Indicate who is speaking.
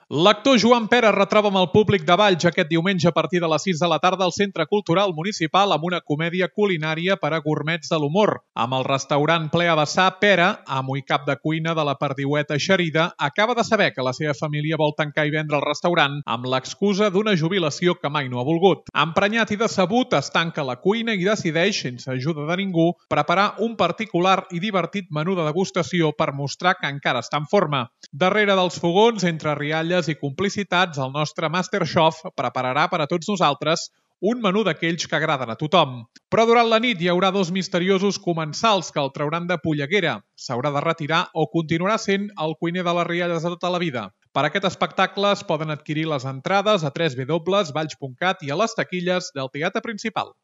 Speaker 1: L'actor Joan Pera retroba amb el públic de Valls aquest diumenge a partir de les 6 de la tarda al Centre Cultural Municipal amb una comèdia culinària per a gourmets de l'humor. Amb el restaurant ple a vessar, Pera, amo i cap de cuina de la perdiueta eixerida, acaba de saber que la seva família vol tancar i vendre el restaurant amb l'excusa d'una jubilació que mai no ha volgut. Emprenyat i decebut, es tanca la cuina i decideix, sense ajuda de ningú, preparar un particular i divertit menú de degustació per mostrar que encara està en forma. Darrere dels fogons, entre rialles i complicitats, el nostre Masterchef prepararà per a tots nosaltres un menú d'aquells que agraden a tothom. Però durant la nit hi haurà dos misteriosos comensals que el trauran de polleguera. S'haurà de retirar o continuarà sent el cuiner de les rialles de tota la vida. Per a aquest espectacle es poden adquirir les entrades a www.valls.cat i a les taquilles del Teatre Principal.